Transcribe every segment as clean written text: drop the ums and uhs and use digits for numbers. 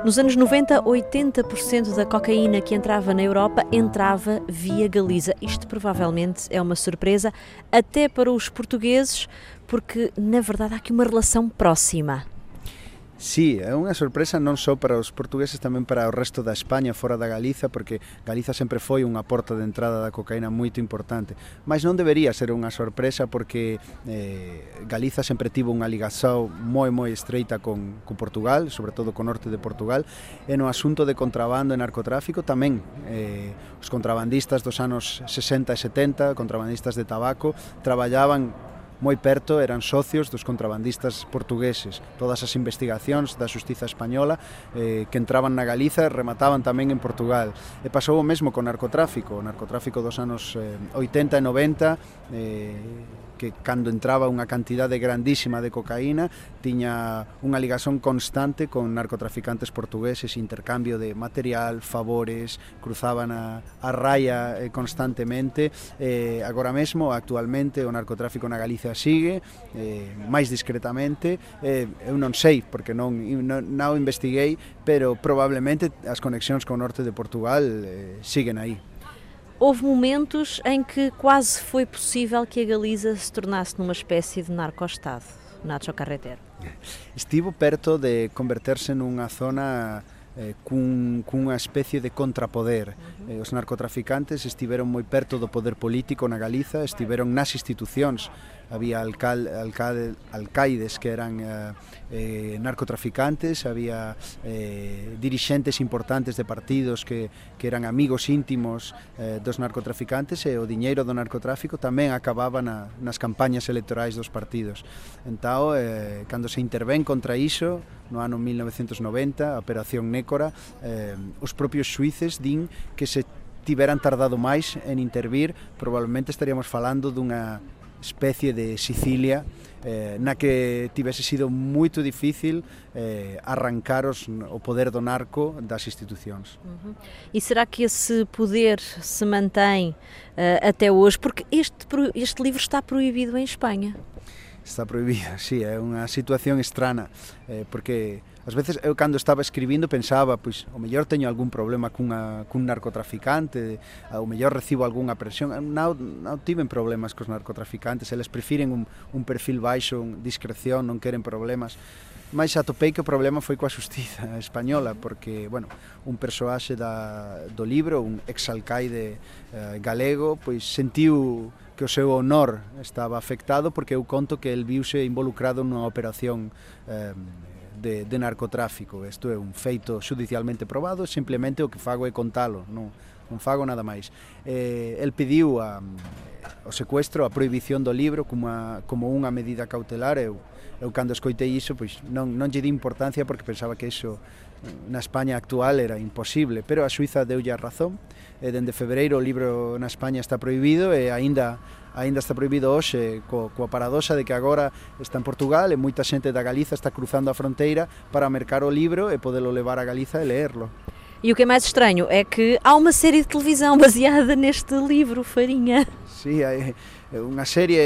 Nos anos 90, 80% da cocaína que entrava na Europa entrava via Galiza. Isto provavelmente é uma surpresa até para os portugueses, porque na verdade há aqui uma relação próxima. Sí, é unha sorpresa non só para os portugueses, tamén para o resto da España, fora da Galiza, porque Galiza sempre foi unha porta de entrada da cocaína moito importante. Mas non debería ser unha sorpresa porque Galiza sempre tivo unha ligación moi estreita con Portugal, sobre todo co norte de Portugal, e no asunto de contrabando e narcotráfico tamén. Os contrabandistas dos anos 60 e 70, contrabandistas de tabaco, traballaban moi perto, eran socios dos contrabandistas portugueses. Todas as investigacións da xustiza española que entraban na Galiza remataban tamén en Portugal. E pasou o mesmo con o narcotráfico dos anos 80 e 90, que cando entraba unha cantidade grandísima de cocaína tiña unha ligación constante con narcotraficantes portugueses, intercambio de material, favores, cruzaban a raya constantemente. Agora mesmo, actualmente, o narcotráfico na Galicia sigue, máis discretamente. Eu non sei, porque non o investiguei, pero probablemente as conexións co norte de Portugal siguen aí. Houve momentos em que quase foi possível que a Galiza se tornasse numa espécie de narco-estado, Nacho Carretero. Estivo perto de converterse nunha zona cunha especie de contrapoder. Os narcotraficantes estiveron moi perto do poder político na Galiza, estiveron nas institucións. Había alcaides que eran narcotraficantes, había dirixentes importantes de partidos que eran amigos íntimos dos narcotraficantes, e o diñeiro do narcotráfico tamén acababa nas campañas electorais dos partidos. Entao, cando se intervén contra iso, no ano 1990, a Operación Nécora, os propios xuíces din que se tiveran tardado máis en intervir, probablemente estaríamos falando dunha especie de Sicilia na que tivese sido moito difícil arrancar o poder do narco das institucións. E será que esse poder se mantém até hoje? Porque este livro está proibido em Espanha. Está proibido, sí, é unha situación estrana, porque ás veces eu cando estaba escribindo pensaba, pois, o mellor teño algún problema cun narcotraficante, o mellor recibo algunha presión. Non tiven problemas cos narcotraficantes, eles prefiren un perfil baixo, discreción, non queren problemas. Mas atopei que o problema foi coa xustiza española, porque, bueno, un persoaxe do libro, un exalcaide galego, pois sentiu que o seu honor estaba afectado porque eu conto que el viuse involucrado nunha operación de narcotráfico. Isto é un feito judicialmente probado, simplemente o que fago é contalo, non fago nada máis. El pediu o secuestro, a prohibición do libro como unha medida cautelar. Eu cando escoitei iso, pois non lle di importancia porque pensaba que iso na España actual era imposible, pero a Suiza deulle a razón. Dende febreiro o libro na España está prohibido e aínda está prohibido hoxe, coa paradoxa de que agora está en Portugal e moita xente da Galiza está cruzando a fronteira para mercar o libro e podelo levar a Galiza e leerlo. E o que é mais estranho é que há uma série de televisão baseada neste livro, Farinha. Sí, hai unha serie,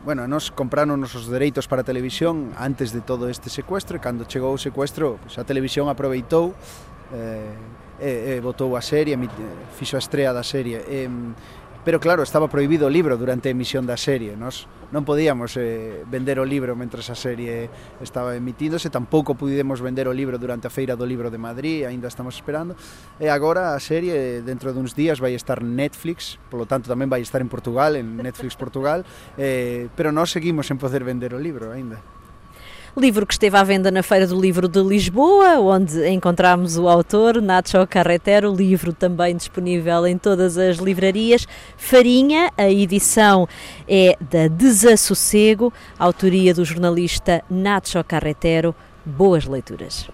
bueno, nos compraron os dereitos para a televisión antes de todo este secuestro, e cando chegou o secuestro, pues, a televisión aproveitou e botou a serie, fixo a estrea da serie. Pero claro, estaba prohibido o libro durante a emisión da serie. Nós non podíamos vender o libro mentres a serie estaba emitíndose, tampouco pudemos vender o libro durante a Feira do Libro de Madrid, aínda estamos esperando. E agora a serie, dentro duns días, vai estar en Netflix, polo tanto tamén vai estar en Portugal, en Netflix Portugal, pero nós seguimos sen poder vender o libro aínda. Livro que esteve à venda na Feira do Livro de Lisboa, onde encontramos o autor, Nacho Carretero, livro também disponível em todas as livrarias. Farinha, a edição é da Desassossego, autoria do jornalista Nacho Carretero. Boas leituras.